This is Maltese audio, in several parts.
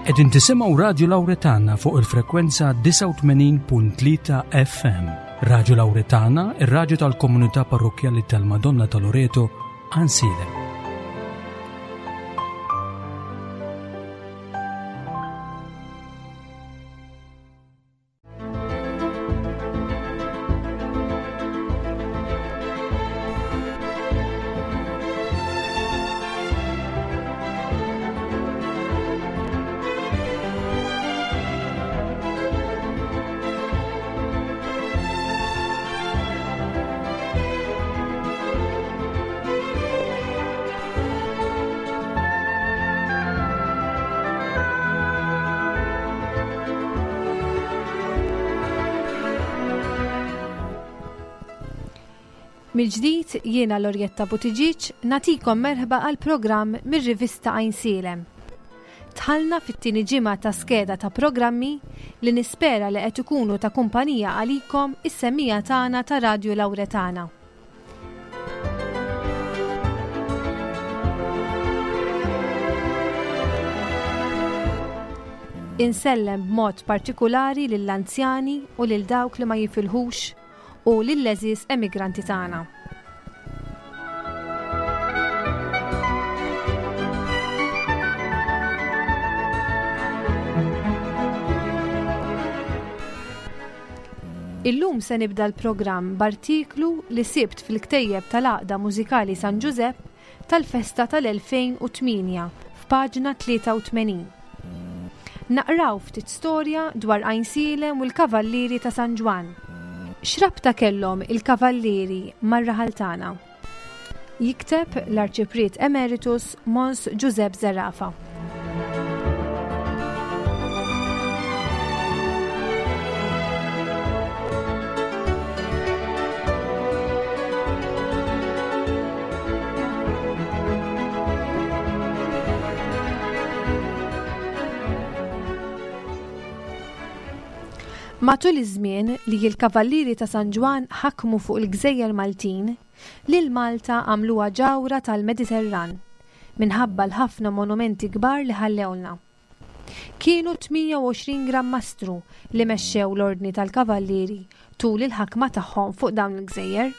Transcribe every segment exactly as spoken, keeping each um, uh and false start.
Qegħdin tisimgħu Radju Lawretana fuq il-frekwenza disgħa u tmenin punt tlieta F M. Radju Lawretana, ir-radju tal-komunità parrokkjali tal-Madonna ta' Loreto, Għajnsielem. Mill-ġdid jiena Lorjetta Buttigieg natikom merħba għal programm mir-rivista Għajnsielem. Dħalna fit-tieni ġimgħa ta' skeda ta' programmi li nispera li qed ikunu ta' kumpanija għalikom is-semmija tagħna ta' Radju Lawretana. Insellem b'mod partikulari lill-anzjani u lil dawk li ma jifilħux u lill-għeżież emigranti tagħna. Illum se nibda l-programm b'artiklu li sibt fil-ktejjeb tal-Għaqda Mużikali San Ġużepp tal-festa tal-elfejn u tmienja f'paġna tlieta u tmenin. Naqraw ftit storja dwar Għajnsielem u l-Kavallieri ta' San Ġwann. X'rabta kellhom il-Kavallieri mar-raħal tagħna? Jikteb l-Arċipriet Emeritus Mons Giuseppe Zerafa. Matul iż-żmien li l-Kavallieri ta' San Ġwann ħakmu fuq il-Gżejjer Maltin, lil Malta għamluha ġawra tal-Mediterran minħabba l-ħafna monumenti kbar li ħallewlna. Kienu tmienja u għoxrin Gran Mastru li mexxew l-Ordni tal-Kavallieri tul il-ħakma tagħhom fuq dawn il-gżejjer.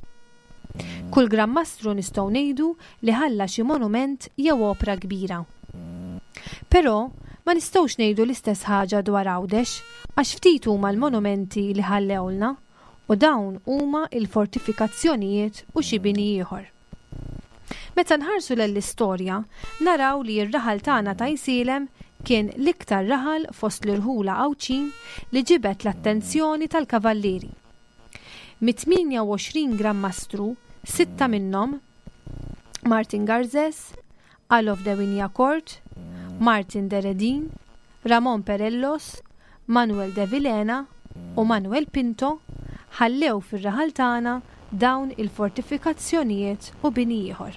Kull Gran Mastru nistgħu ngħidu li ħalla xi monument jew opra kbira. Però ma nistgħux ngħidu l-istess ħaġa dwar Għawdex għax ftit huma l-monumenti li ħallewlna u dawn huma l-fortifikazzjonijiet u xi bini ieħor. Meta nħarsu lill-istorja, naraw li r-raħal tagħna ta' Għajnsielem kien l-iktar raħal fost l-irħula Għawdxin li ġibed l-attenzjoni tal-kavallieri. Mit-tmienja u għoxrin Gran Mastru, sitta minnhom, Martin Garzes, Alof de Wignacourt, Martin de Redin, Ramon Perellos, Manuel de Vilhena u Manuel Pinto ħallew fir-raħal tagħna dawn il-fortifikazzjonijiet u bini ieħor.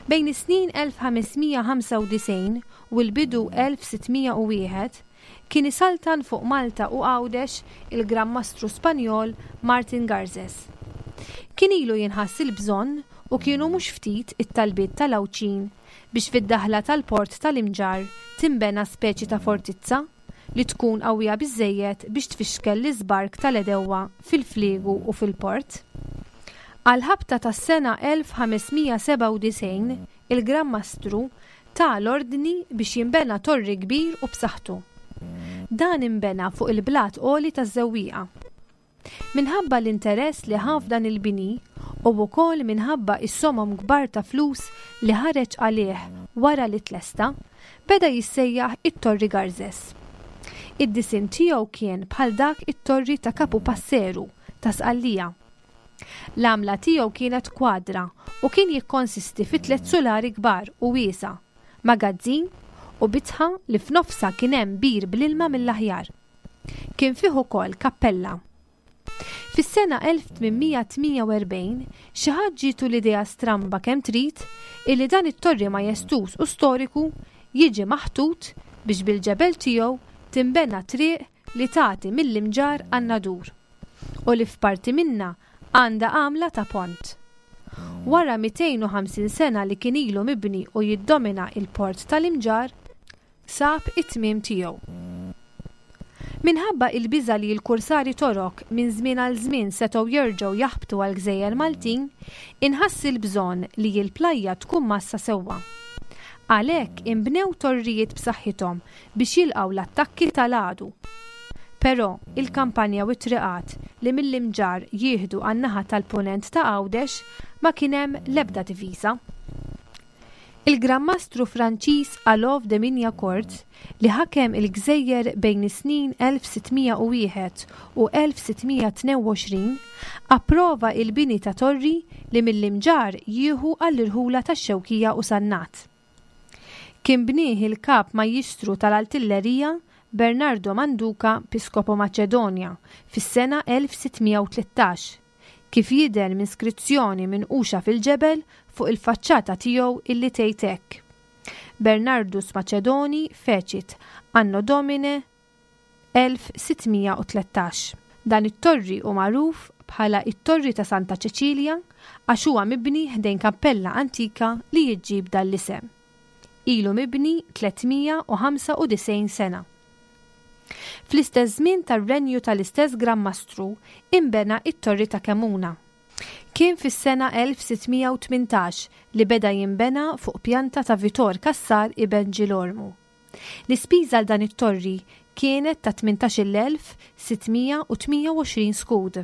Bejn is-snin elf ħamesmija ħamsa u disgħin u l-bidu elf sittmija u wieħed kien isaltan fuq Malta u Għawdex il-Gran Mastru Spanjol Martin Garzes. Kien ilu jinħass il-bżonn u kienu mhux ftit it-talbiet tal-Għawdxin biex fid-daħla tal-port tal-Imġarr timbena speċi ta' fortizza li tkun qawwija biżżejjed biex tfixkel l-iżbark tal-edewwa fil-fliegu u fil-port. Għal-ħabta tas-sena elf ħamesmija sebgħa u disgħin, il-Gran Mastru ta l-ordni biex jinbena torri kbir u b'saħħtu. Dan inbena fuq il-blat għoli taż-Żewwieqa. Minħabba l-interess li ħa f'dan il-bini u wkoll minħabba is-somom kbar ta' flus li ħareġ għalih wara li tlesta, beda jissejjaħ it-Torri Garzes. Id-disin tiegħu kien bħal dak it-torri ta' Kapu Passeru ta' Sqallija. L-għamla tiegħu kienet kwadra u kien jikkonsisti fi tliet sulari kbar u wiesa, magazzin u bitħa li f'nofsa kien hemm bir bl-ilma mill-aħjar. Kien fih ukoll kappella. Fis-sena elf tmienmija tmienja u erbgħin, xi ħadd ġietu l-idea stramba kemm trid illi dan it-torri majestuż u storiku jiġi maħtut biex bil-ġebel tiegħu timbena triq li tagħti mill-Imġarr għan-Nadur u li f'parti minna għandha għamla ta' pont. Wara mitejn u ħamsin sena li kien ilu mibni u jiddomina il-port tal-Imġarr, sab it-tmiem tiegħu. Minħabba il-biża' li l-kursari Torok minn żmien għal żmien setgħu jerġgħu jaħbtu għal gżejjer Maltin, inħass il-bżonn li l-plajja tkun mgħassa sewwa. Għalhekk inbnew torrijiet b'saħħithom biex jilqgħu l-attakki tal-għadu. Però il-kampanja u t-triqat li mill-Imġarr jieħdu għan-naħa tal-punent ta' Għawdex ma kien hemm l-ebda difiża. Il-Gran Mastru Franċiż Alof de Wignacourt, li ħakem il-gżejjer bejn is-snin elf sittmija u wieħed u elf sittmija tnejn u għoxrin, approva il-bini ta' torri li mill-Imġarr jieħu għall-irħula tax-Xewkija u Sannat. Kien bnieh il-kap majjistru tal-artillerija Bernardo Manduca Piscopo Macedonia fis-sena elf sittmija u tlettax, kif jidher minn skrizzjoni minquxa fil-ġebel fuq il-faċċata tiegħu illi tgħid hekk: Bernardus Macedoni fecit anno Domine elf sittmija u tlettax. Dan it-torri hu magħruf bħala it-Torri ta' Santa Ċeċilja għax huwa mibni ħdejn kappella antika li jiġġib dan l-isem. Ilu mibni tlietmija u ħamsa u disgħin sena. Fl-istess żmien tar-renju tal-istess Gran Mastru imbena it-Torri ta' Kemuna. Kien fis-sena elf sittmija u tmintax li beda jinbena fuq pjanta ta' Vitor Cassar ibn Ġilormu. L-ispiża għal dan it-torri kienet ta' tmintax-il elf sittmija u tmija u għoxrin skud.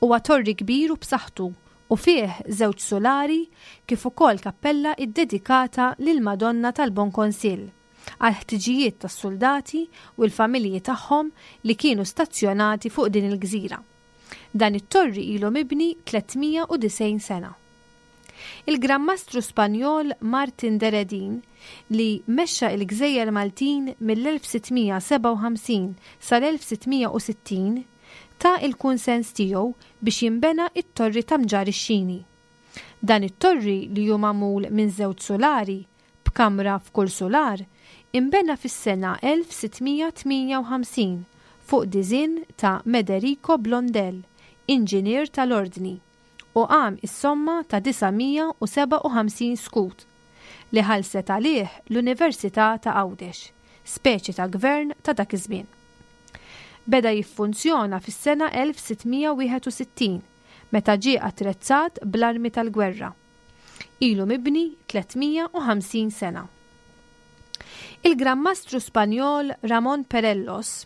Huwa torri kbir u b'saħħtu u fih żewġ solari kif ukoll kappella iddedikata lil Madonna tal-Bon Konsill għal ħtiġijiet tas-soldati u l-familji tagħhom li kienu stazzjonati fuq din il-gżira. Dan it-torri ilu mibni tlietmija u disgħin sena. Il-Gran Mastru Spanjol Martin de Redin, li mexxa il-Gżejjer Maltin mill-elf sittmija sebgħa u ħamsin sal-elf sittmija u sittin, ta il-kunsens tiegħu biex jinbena it-torri ta' Mġarr ix-Xini. Dan it-torri li hu magħmul minn żewġ solari, b'kamra f'kull solar, imbena fis-sena elf sittmija tmienja u ħamsin fuq diżinn ta' Mederico Blondel, inġinier tal-ordni, u qam is-somma ta' disa' mija u sebgħa u ħamsin skud li ħallset għalih l-Università ta' Għawdex, speċi ta' gvern ta' dak iż-żmien. Beda jiffunzjona fis-sena elf sittmija wieħed u sittin meta ġie attrezzat bl-armi tal-gwerra. Ilu mibni tlietmija u ħamsin sena. Il-Gran Mastru Spanjol Ramon Perellos,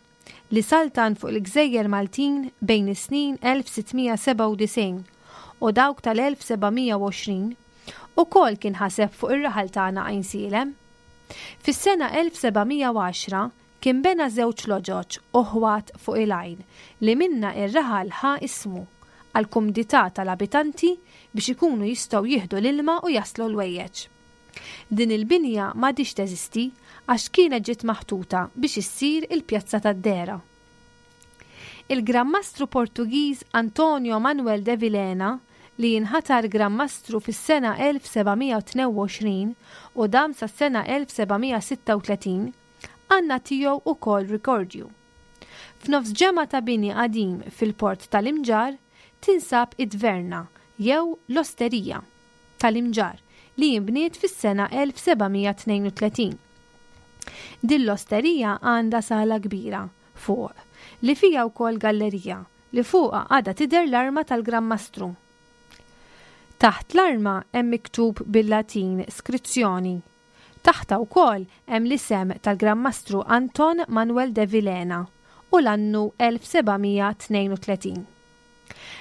li saltan fuq il-Gżejjer Maltin bejn is-snin elf sittmija sebgħa u disgħin u dawk tal-elf sebgħamija u għoxrin, ukoll kien ħaseb fuq ir-raħal tagħna Għajnsielem. Fis-sena elf sebgħamija u għaxra kien bena żewġ loġoġ u ħwat fuq il-għajn li minna ir-raħal ħa ismu għall-kumdità tal-abitanti biex ikunu jistgħu jieħdu l-ilma u jaslu l-wejjeġ. Din il-binja m'għadix teżisti għax kienet ġiet maħtuta biex issir il-Pjazza tad-Dehra. Il-Gran Mastru Portugiż Antonio Manuel de Vilhena, li jinħatar Gran Mastru fis-sena elf sebgħamija u tnejn u għoxrin u dam sas-sena elf sebgħamija sitta u tletin, għandna tiegħu ukoll rikordju. F'nofs ġemgħa ta' bini qadim fil-port tal-Imġarr tinsab id-Dverna jew l-Osterija tal-Imġarr li jinbniet fis-sena elf sebgħamija tnejn u tletin. Din l-osterija għandha sala kbira fuq li fija wkoll gallerija li fuqha għadha tidher l-arma tal-Gran Mastru. Taħt l-arma hemm miktub bil-Latin skrizzjoni. Taħta wkoll hemm l-isem tal-Gran Mastru Anton Manuel de Vilhena u l-annu elf sebgħamija tnejn u tletin.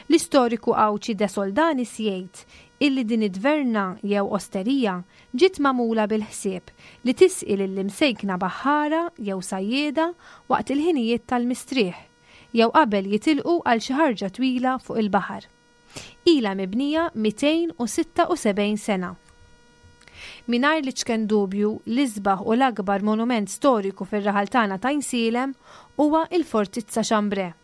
L-istoriku Għawdxi de Soldanis jgħid illi din id-dverna jew osterija ġiet magħmula bil-ħsieb li tisqi lill-imsejkna baħħara jew sajjieda waqt il-ħinijiet tal-mistrieħ jew qabel jitilqu għal xi ħarġa twila fuq il-baħar. Ilha mibnija mitejn u sitta u sebgħin sena. Mingħajr li ċken dubju l-isbaħ u l-akbar monument storiku fir-raħal tagħna ta' Għajnsielem huwa il-Fortizza Chambray.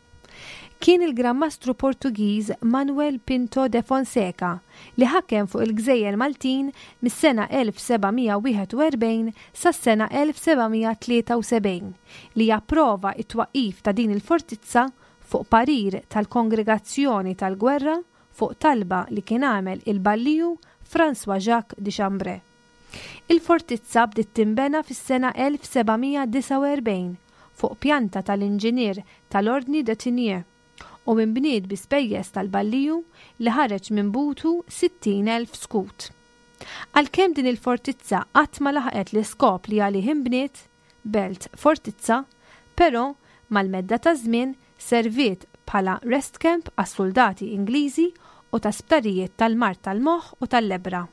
Kien il-Gran Mastru Portugiż Manuel Pinto de Fonseca li ħakem fuq il-Gżejjer Maltin mis-sena elf sebgħamija wieħed u erbgħin sas-sena elf sebgħamija tlieta u sebgħin li japprova it-twaqqif ta' din il-fortizza fuq parir tal-Kongregazzjoni tal-Gwerra fuq talba li kien għamel il-Balliju François Jacques de Chambray. Il-fortizza bdiet tinbena fis-sena elf seba' mija disgħa u erbgħin fuq pjanta tal-inġinier tal-Ordni de Tinier u inbniet bi spejjeż tal-balliju li ħareġ minn butu sittin elf skut. Għalkemm din il-fortizza qatt ma laħqet l-iskop li għalih inbniet, belt fortizza, però mal-medda ta' żmien serviet bħala rest camp għas-soldati Ingliżi u ta' sptarijiet tal-mard tal-moħħ u tal-lebbra.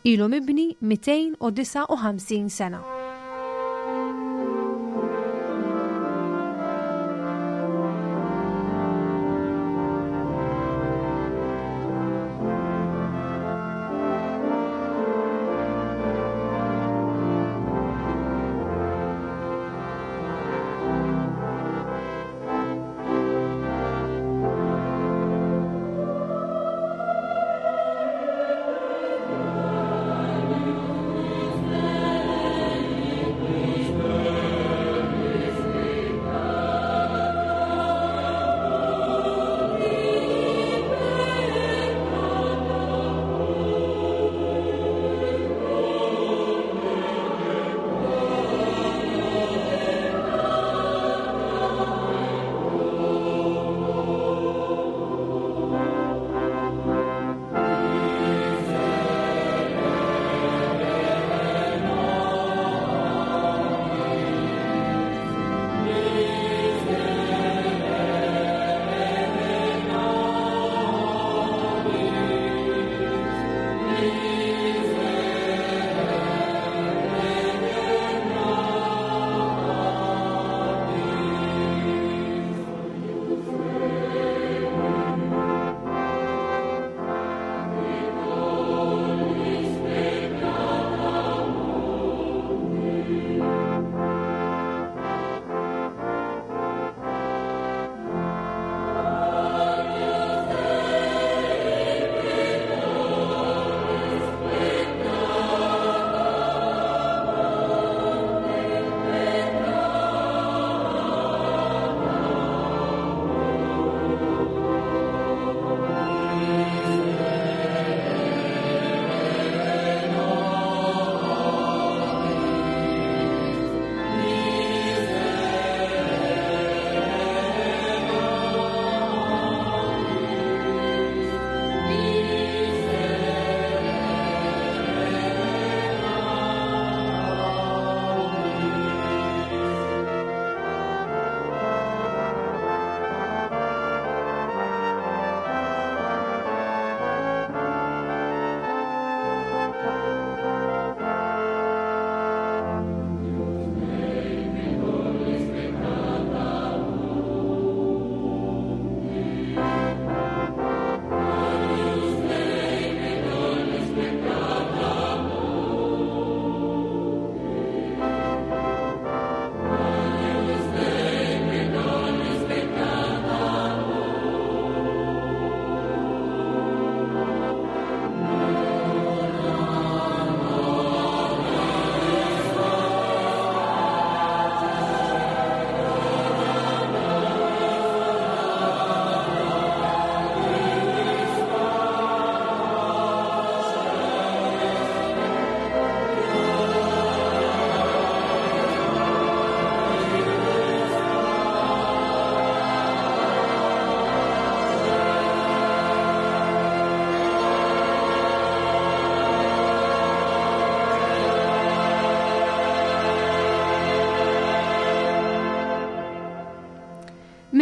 Ilu mibni mitejn u disgħa u ħamsin sena.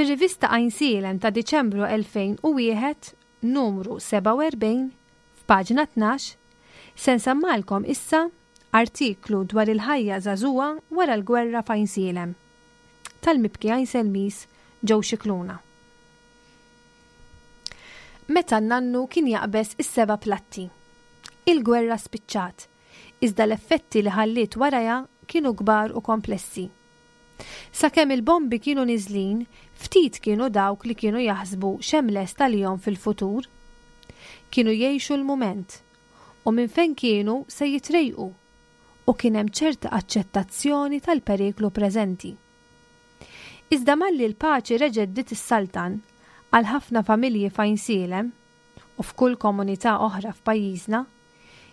Mir-rivista Għajnsielem ta' Diċembru elfejn u wieħed, numru sebgħa u erbgħin, f'paġna tnax, se nsemmalkom issa artiklu dwar il-ħajja żagħżugħa wara l-gwerra f'Għajnsielem. Tal-mibki Għajnselmis Joe Scicluna. Meta n-nannu kien jaqbeż is-seba' platti. Il-gwerra spiċċat, iżda l-effetti li ħalliet warajha kienu kbar u komplessi. Sakemm il-bombi kienu niżlin, ftit kienu dawk li kienu jaħsbu x'hemm lest għalihom fil-futur. Kienu jgħixu l-mument u minn fejn kienu se jitrejqu u kien hemm ċerta aċċettazzjoni tal-periklu preżenti. Iżda malli l-paċi reġgħet bdiet issaltan għal ħafna familji f'Għajnsielem u f'kull komunità oħra f'pajjiżna,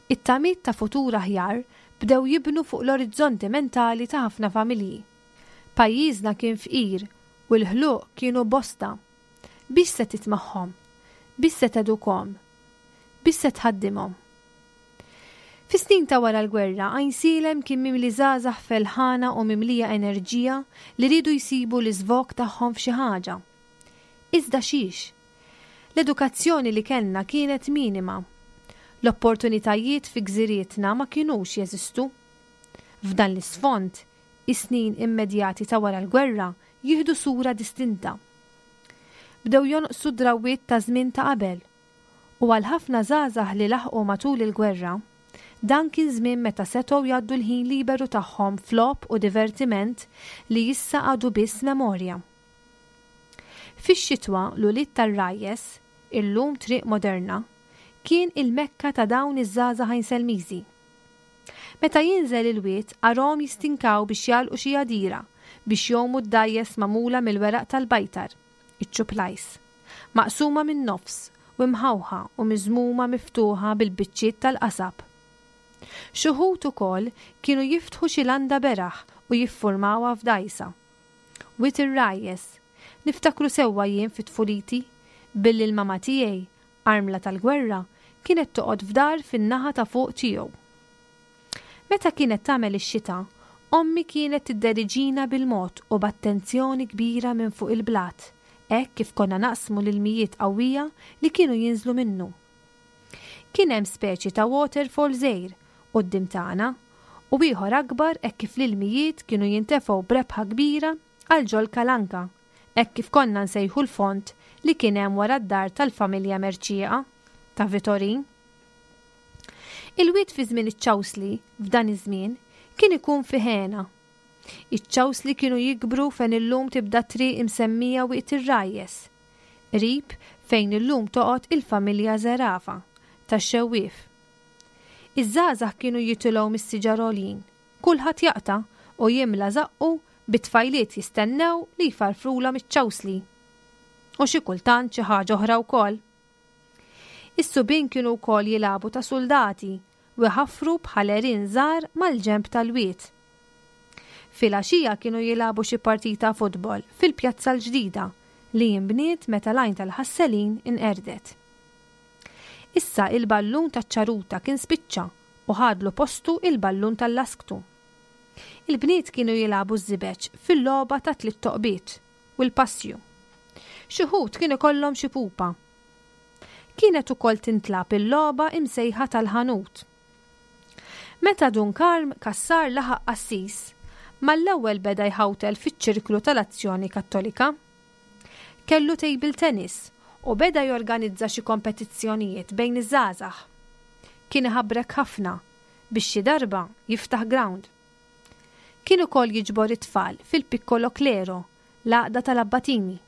It-tamiet ta' futur aħjar bdew jibnu fuq l-orizzonti mentali ta' ħafna familji. Pajjiżna kien fqir u l-ħluq kienu bosta. Biex se titmagħhom? Biex se tedukhom? Biex se tħaddimhom? Fis-snin ta' wara l-gwerra, Għajnsielem kien mimli żgħażagħ felħana u mimlija enerġija li riedu jsibu l-iżvog tagħhom f'xi ħaġa. Iżda xiex? L-edukazzjoni li kellna kienet minima. L-opportunitajiet fi gżirietna ma kinux jeżistu. F'dan l-isfond, is-snin immedjati ta' wara l-gwerra jieħdu sura distinta. Bdew jonqsu drawwiet ta' żmien ta' qabel u għal ħafna żgħażagħ li laħqu matul il-gwerra, dan kien żmien meta setgħu jgħaddu l-ħin liberu tagħhom f'logħob u divertiment li issa għadu biss memorja. Fix-xitwa l-ulied tar-Rajjes, illum Triq Moderna, kien il-mekka ta' dawn iż-żgħażagħ Għajnselmiżi. Meta jinżel il-wied arahom jistinkaw biex jagħlqu xi għadira biex jgħumu d-dgħajjes magħmula mill-weraq tal-bajtar, iċ-ċuplajs, maqsuma min-nofs u mħawħa u miżmuma miftuħa bil-biċċiet tal-qasab. Xi wħud ukoll kienu jiftħu xi landa beraħ u jiffurmawha f'dgħajsa. Wied ir-Rajjes, niftakru sewwa jien fi tfuliti, billi l-mama tiegħi, armla tal-gwerra, kienet toqgħod f'dar fin-naħa ta' fuq tiegħu. Meta kienet tagħmel ix-xita, ommi kienet tidderiġina bil-mod u b'attenzjoni kbira minn fuq il-blat, hekk kif konna naqsmu l-ilmijiet qawwija li kienu jinżlu minnu. Kien hemm speċi ta' waterfall żgħir quddiem tagħna u ieħor akbar hekk kif l-ilmijiet kienu jintefgħu b'rebħa kbira għal ġol Kalanka, hekk kif konna nsejħu l-font li kien hemm wara d-dar tal-familja Mercieqa ta' Vitorin. Il-wied fi żmien iċ-ċawsli f'dan iż-żmien kien ikun fi ħena. Iċ-ċawsli kienu jikbru fejn illum tibda triq imsemmija Wied ir-Rajjes, qrib fejn illum toqgħod il-familja Zerafa tax-Xewwief. Iż-żgħażagħ kienu jitilgħu mis-siġar għoljin, kulħadd jaqta' u jimla żaqqu bit-tfajliet jistennew li jfarfrulhom iċ-ċawsli. U xi kultant xi ħaġa oħra wkoll. Is-subien kienu wkoll jilagħbu ta' suldati u jħaffru bħal għerien żgħar mal-ġenb tal-wied. Filgħaxija kienu jilagħbu xi partita futbol fil-Pjazza l-Ġdida li jinbniet meta l-għajn tal-Ħasselin inqerdet. Issa il-ballun taċ-ċaruta kien spiċċa u ħadlu postu il-ballun tal-lasktu. Il-bniet kienu jilagħbu ż-żibeġ fil-logħba ta' tliet toqbiet u l-passju. Xi wħud kien ikollhom xi pupa. Kienet ukoll tintlab il-logħba imsejħa tal-ħanut. Meta Dun Karm Cassar laħaq qassis, mal-ewwel beda jħawtel fiċ-ċirklu tal-Azzjoni Kattolika. Kellu table tennis u beda jorganizza xi kompetizzjonijiet bejn iż-żgħażagħ. Kien iħabrek ħafna biex xi darba jiftaħ ground. Kien ukoll jiġbor it-tfal fil-Piccolo Clero, l-għaqda tal-Abbatini.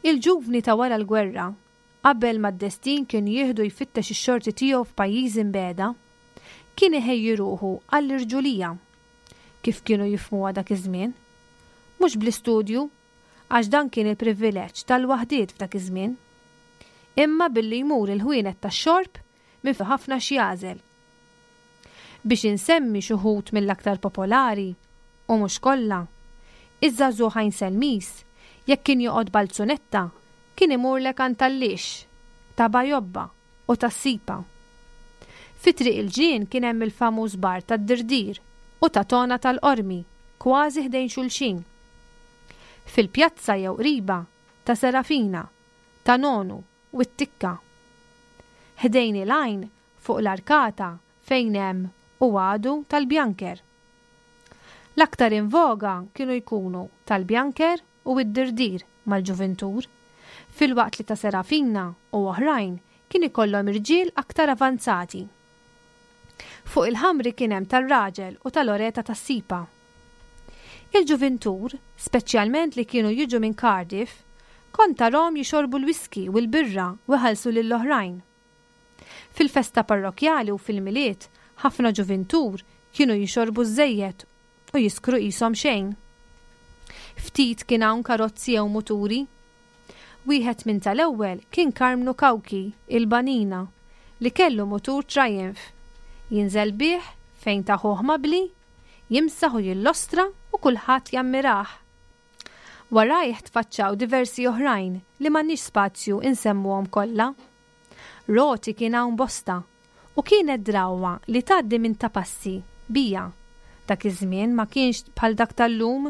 Il-ġuvni ta' wara l-gwerra, qabel ma d-destin kien jieħdu jfittex ix-xorti tiegħu f'pajjiż imbeda, kien iħejji ruħu għall-irġulija, kif kienu jifhmuha dak iż-żmien. Mhux bl-istudju, għax dan kien il-privileġġ tal-waħdiet f'dak iż-żmien, imma billi jmur il-ħwienet tax-xorb minn fi ħafna x'jagħżel. Biex insemmi xi wħud mill-aktar popolari, u mhux kollha, iż-żagħżugħ Għajnselmiż, jekk kien joqgħod balzunetta, kien imurlek għand tal-lix, ta' Bajobba u tas-Sipa. Fi Triq il-Ġnien kien hemm il-famuż bar tad-Dirdir u ta' Tona tal-Qormi, kważi ħdejn xulxin. Fil-pjazza jew qriba ta' Serafina, ta' Nonu u t-Tikka. Ħdejn il-għajn fuq l-arkata fejn hemm u għadu tal-Bjanker. L-aktar in voga kienu jkunu tal-Bjanker u d-Dirdir mal-ġuvintur, filwaqt li ta' Serafina u oħrajn kien ikollhom irġiel aktar avanzati. Fuq il-ħamri kien hemm tar-raġel u tal-oreta tas-sipa. Il-ġuvintur, speċjalment li kienu jiġu minn Cardiff, kont tarahom jixorbu l-whisky u l-birra u jħallsu lill-oħrajn. Fil-festa parrokjali u fil-Milied, ħafna ġuvintur kienu jixorbu żejjed u jiskru qishom xejn. Ftit kien hawn karozzi jew muturi. Wieħed minn tal-ewwel kien Karmnu Kawki, il-Banina, li kellu mutur Triumph. Jinżel bih fejn ta' ħuh Mabli, jimsaħ u jillostra u kulħadd jammirah. Warajh tfaċċaw diversi oħrajn li m'għandniex spazju insemmuhom kollha. Roti kien hawn bosta u kienet drawwa li tgħaddi minn Ta' Passi bija. Dak iż-żmien ma kienx bħal dak tal-lum.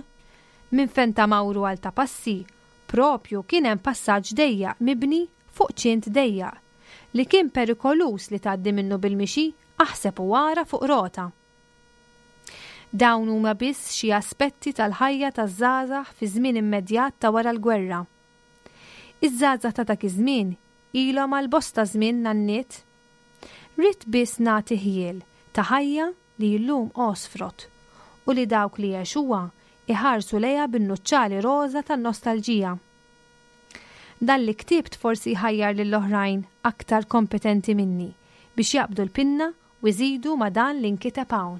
Minn fejn ta' Mawru għal Ta' Passi propju kien hemm passaġġ dejjaq mibni fuq ċint dejjaq li kien perikoluż li tgħaddi minnu bil-mixi, aħseb u ara fuq rota. Dawn huma biss xi aspetti tal-ħajja taż-żgħażagħ fi żmien immedjat ta' wara l-gwerra. Iż-żgħażagħ ta' dak iż-żmien ilhom għal bosta żmien nanniet. Ridt biss nagħti ħjiel ta' ħajja li llum għosfrot u li dawk li għexuha iħarsu lejha bin-nuċċali roża tan-nostalġija. Dan li ktibt forsi jħajjar lill-oħrajn aktar kompetenti minni biex jaqbdu l-pinna u jżidu ma' dan li nkiteb hawn.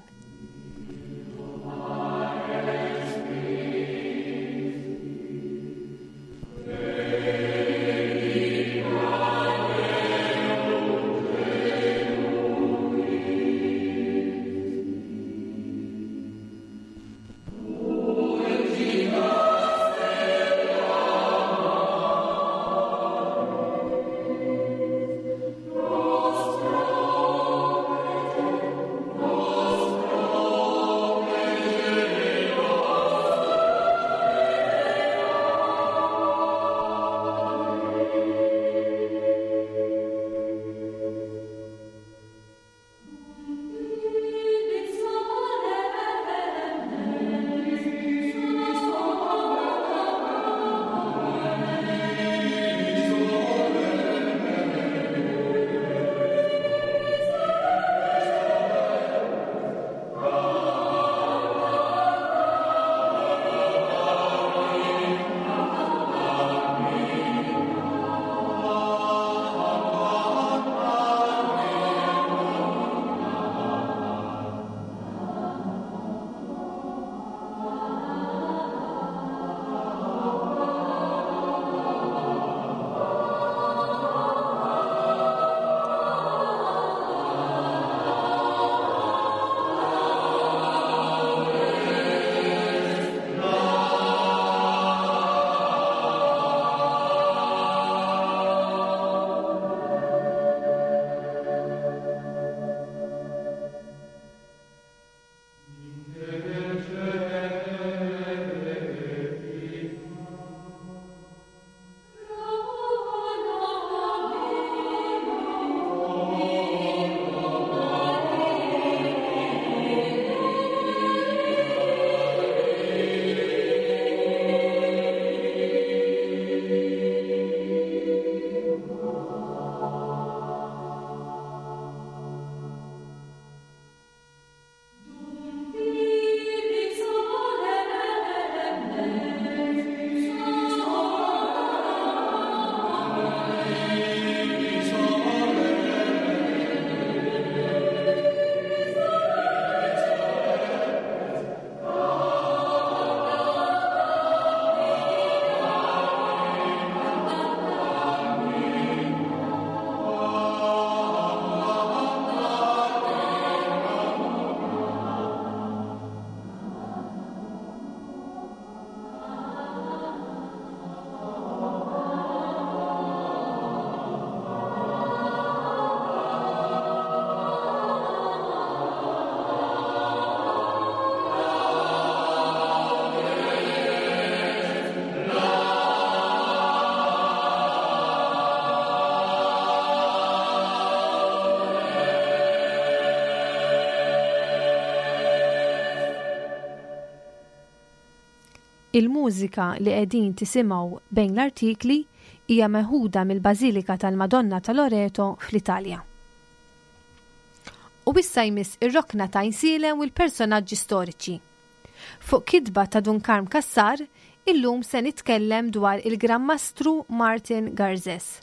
Il-mużika li qegħdin tisimgħu bejn l-artikli hija meħuda mill-Bażilika tal-Madonna ta' Loreto fl-Italja. U issa jmiss ir-rokna ta' Għajnsielem u l-personaġġi storiċi. Fuq kitba ta' Dun Karm Cassar, illum se nitkellem dwar il-Gran Mastru Martin Garzes.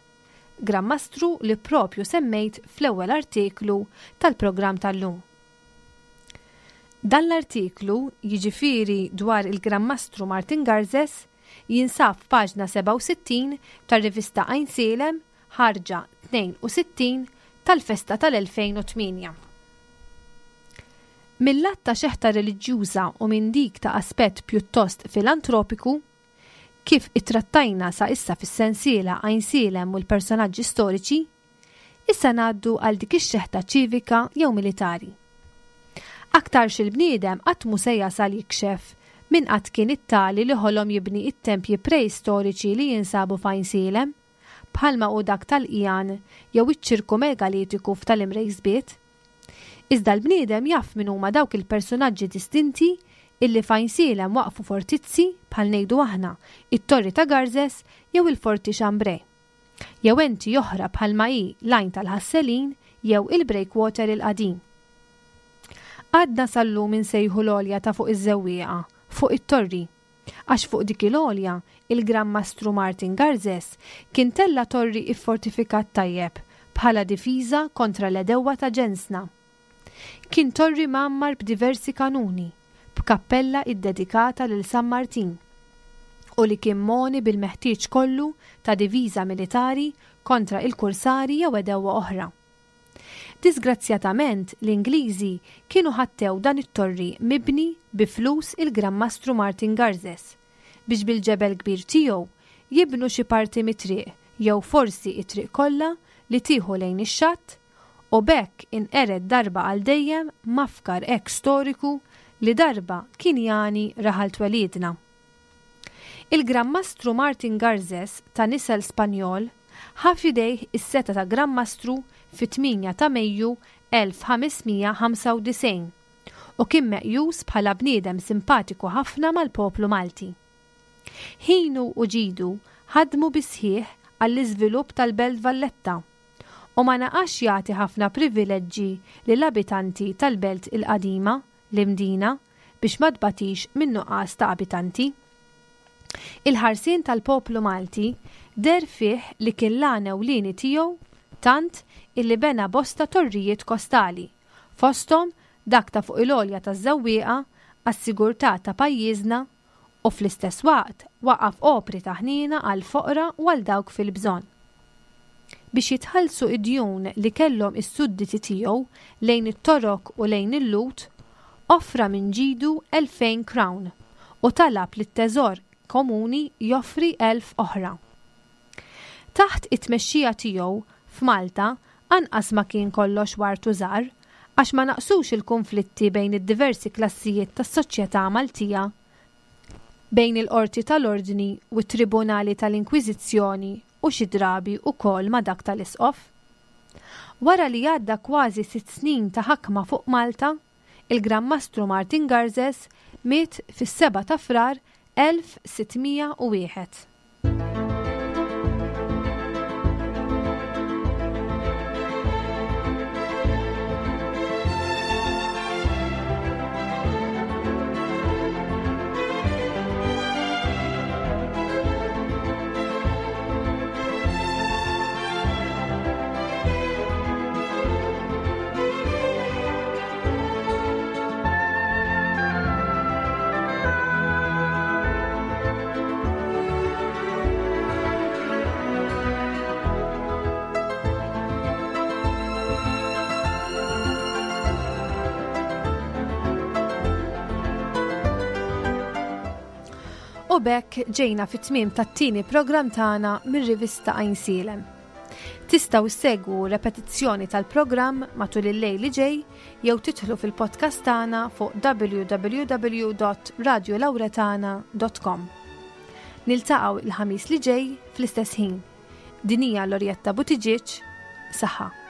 Gran Mastru li propju semmejt fl-ewwel artiklu tal-programm tal-lum. Dan l-artiklu, jiġifieri dwar il-Gran Mastru Martin Garzes, jinsab f'paġna sebgħa u sittin tar-rivista Għajnsielem, ħarġa tnejn u sittin tal-festa tal-elfejn u tmienja. Mill-lat ta' xeħta reliġjuża u minn dik ta' aspett pjuttost filantropiku, kif ittrattajna sa issa fis-sensiela Għajnsielem u l-personaġġi storiċi, issa ngħaddu għal dik ix-xeħta ċivika jew militari. Aktarx il-bniedem qatt mhu se jasal jikxef min qatt kien it-tali li ħolom jibni it-tempji preistoriċi li jinsabu f'Għajnsielem, bħalma hu dak tal-Qijan jew iċ-ċirku megalitiku f'tal-Imrejsbiet. Iżda l-bniedem jaf min huma dawk il-personaġġi distinti illi f'Għajnsielem waqfu fortizzi bħal ngħidu aħna it-Torri ta' Garzes jew il-Forti Chambray, jew enti oħra bħalma hi l-Għajn tal-Ħasselin jew il-Breakwater il-qadim. Għadna sal-lum insejħu l-għolja ta' fuq iż-żewwieqa, fuq it-torri, għax fuq dik il-għolja il-Gran Mastru Martin Garzes kien tella torri iffortifikat tajjeb bħala difiża kontra l-edewwa ta' ġensna. Kien torri mgħammar b'diversi kanuni, b'kappella iddedikata lil San Martin, u li kien moni bil-meħtieġ kollu ta' diviża militari kontra il-kursari jew edewwa oħra. Disgrazzjatament, l-Ingliżi kienu ħattew dan it-torri mibni bi flus il-Gran Mastru Martin Garzes biex bil-ġebel kbir tiegħu jibnu xi parti mit-triq jew forsi it-triq kollha li tieħu lejn ix-xatt, u b'hekk inqered darba għal dejjem mafkar hekk storiku li darba kien jani raħal twelidna. Il-Gran Mastru Martin Garzes ta' nisel Spanjol ħa f'idejh is-seta ta' Gran Mastru fit-tmienja ta' Mejju elf ħames mija ħamsa u disgħin u kien meqjus bħala bniedem simpatiku ħafna mal-poplu Malti. Ħinu u ġidu ħadmu bisħieħ għall-iżvilupp tal-Belt Valletta u ma naqax jagħti ħafna privileġġi lill-abitanti tal-Belt il-Qadima, l-Imdina, biex ma tbatix minn nuqqas ta' abitanti. Il-ħarsien tal-poplu Malti der fih li kien l-għan ewlieni tiegħu tant illi bena bosta torrijiet kostali, fosthom dak ta' fuq il-għolja taż-żewwieqa għas-sigurtà ta' pajjiżna u fl-istess waqt waqaf opri ta' ħniena għal foqra u għal dawk fil-bżonn. Biex jitħallsu id-djun li kellhom is-sudditi tiegħu lejn it-Torok u lejn il-Lhud, offra minn ġidu elfejn crown u talab lit-teżor komuni joffri elf oħra. Taħt it-tmexxija tiegħu f'Malta anqas ma kien kollox wartu żgħar, għax ma naqsux il-konflitti bejn id-diversi klassijiet tas-soċjetà Maltija, bejn il-qorti tal-Ordni u t-Tribunali tal-Inkwiżizzjoni u xi drabi wkoll ma' dak tal-Isqof. Wara li għadda kważi sitt snin ta' ħakma fuq Malta, il-Gran Mastru Martin Garzes miet fis-seba' ta' Frar elf sittmija u wieħed. U b'hekk ġejna fit-tmiem tat-tieni programm tagħna mir-rivista Għajnsielem. Tistgħu ssegwu repetizzjoni tal-programm matul il-lejl li ġej jew tidħlu fil-podcast tagħna fuq w w w dot radio lauretana dot com. Niltaqgħu il-ħamis li ġej fl-istess ħin. Din hija Lorjetta Buttigieg, saħħa.